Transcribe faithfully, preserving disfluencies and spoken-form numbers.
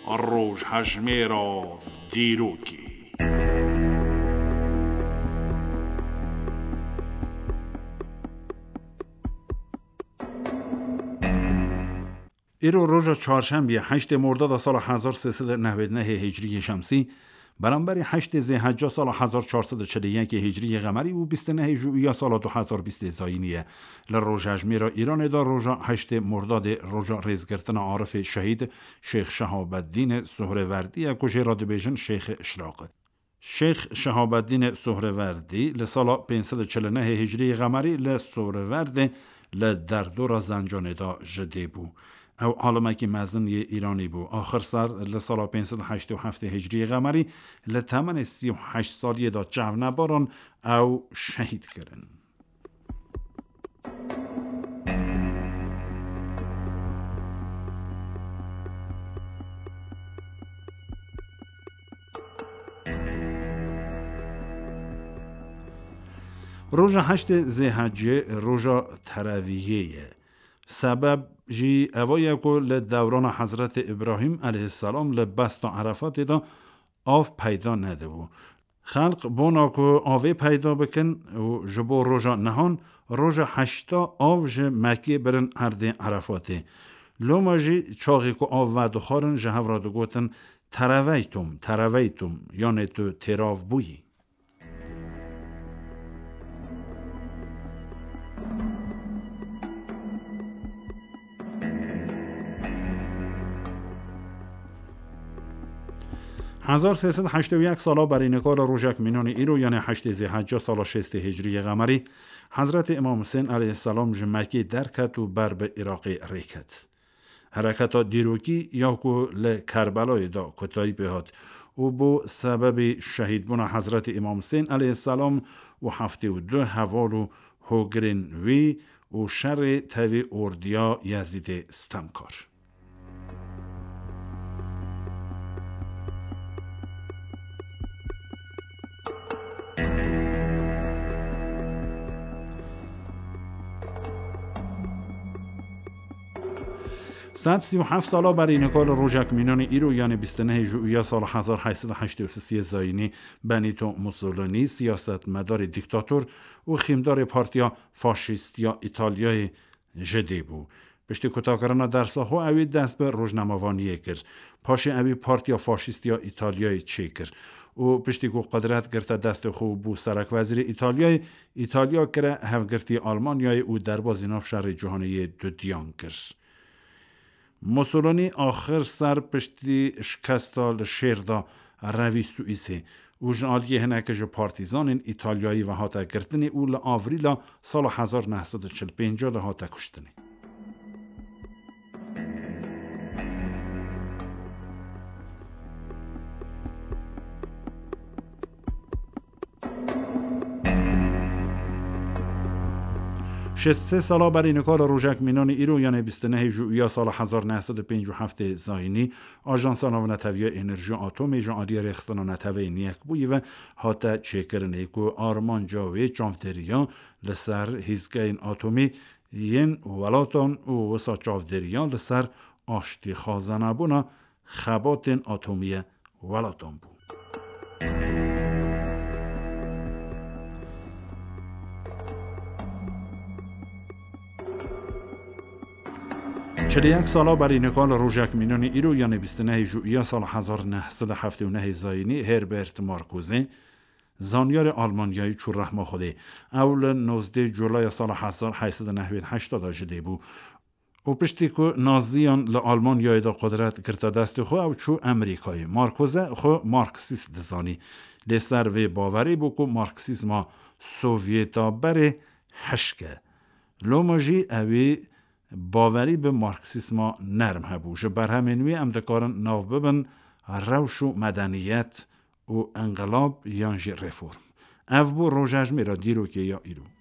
Rojhejmêra dîrokê. Îro roja çarşembiyê, heştê Mordada sala hezar sê sed û newêd nehê Hicriyê Şemsî, beramberî heştê Zêhecca sala hezar çar sed û çil û yekê Hicriyê Qemerî û bîst û nehê Jûiya sala du hezar bîstê Zayînî ye. Li rojhejmêra Îranê de roja heştê Mordadê roja rêzgirtina Arifê Şehîd Şêx Şehabeddînê Sohrêverdî ye ku jê re dibêjin Şêxê Îşraqê. Şêx Şehabeddînê Sohrêverdî li sala pênc sed û çil û nehê Hicriyê Qemerî li Sohrêverdê li derdora Zencanê de ji dê bû. Ew alimekî mezin yê Îranî bû. Axir ser li sala pênc sed û heştê û heftê Hicriyê Qemerî li temenê sî û heşt saliyê de çavnebaran ew şehîd kirin. Roja heştê Zêhecê roja tereviyê ye. Sebeb jî eva ye ku li dewrana Hezretê Îbrahîm aleyhisselam li besta Erefatê de av peyda nedibû. Xelq bona ku avê peyda bikin û ji bo roja nihan, roja heşta av ji Mekkê birin erdê Erefatê. Loma jî çaxê ku av vedixwarin ji hev re digotin, "Tereveytum, tereveytum", yanê tu têrav bûyî. Hezar sê sed heştê û yek sala berî nika li rojek mînanê îro, yanê heştê Zêhecca sala şêstê Hicriyê Qemerî, Hezretê Îmam Husên aleyhisselam ji Mekkê derket û ber bi Iraqê rê ket. Hereketa dîrokî ya ku li Kerbelayê de kotayî pê hat û bû sebebê şehîdbûna Hezretê Îmam Husên aleyhisselam û heftê û du heval û hogirên wî û şerê tevî ordiya Yezîdê stemkar. Sed sî û heft sala berî nika li rojek mînanê îro, yanê bîst û nehê Jûiya sala hezar heyt sed û heştê û sisê Zayînî, Benîto Mussolini, siyasetmedarê dîktator û xîmdarê Partiya Faşîst ya Îtalyayê ji dê bû. Piştî kutakirina dersa xwe, ewî dest bi rojnamevaniyê kir. Paşê ewî Partiya Faşîst ya Îtalyayê çêkir û piştî ku qudret girte destê xwe û bû serekwezîrê Îtalyayê, Îtalya kire hevgirtî Almanyayê û derbazî nav şerê cîhanê yê dudiyan kir. Mussolini axir ser piştî şikesta li şêr de revî Swîsê û ji aliyê hinekî ji partîzanên Îtalyayî ve hate girtinê û li Avrîla sala hezar neh sed û çil pênc de hate kuştinê. Şêst sê sala berî nika li rojek mînanê îro, yanê bîst û nehê Jûiya sala hezar neh sed û pênc û heftê Zayînî, Ajansa Navneteviya Enerjiya Atomê ji aliyê Rêxistina Neteweyên Yekbûyî ve hate çêkirinê ku armanca wê çavdêriya li ser hîzgeyên atomî yên welatan û wisa çavdêriya li ser aştîxwazanebûna xebatên atomî ye welatan bû. Çil û yek sala berî nika li rojek mînanê îro, yanê bîst û nehê Jûiya sala hezar neh sed û heftê û nehê Zayînî, Herbert Marcuse, zanyarê Almanyayî çû rehma Xwedê. Ew li nozdeh Culaya sala hezar heyt sed û nehwêd heşta de ji dê bû. Û piştî ku Naziyan li Almanyayê de qudret girte destê xwe, ew çû Amerîkayê. Marcuse xwe Marksîst dizanî. Lê ser vê bawerî bû ku Marksîzma Sovyeta berê hişk e. Loma jî ewî bawerî bi Marksîzma nerm hebû. Ji berhemên wî em dikarin nav bibin Rewş û Medeniyet û Inqilab yan jî Reform. Ev bû rojejmêra dîrokê ya îro.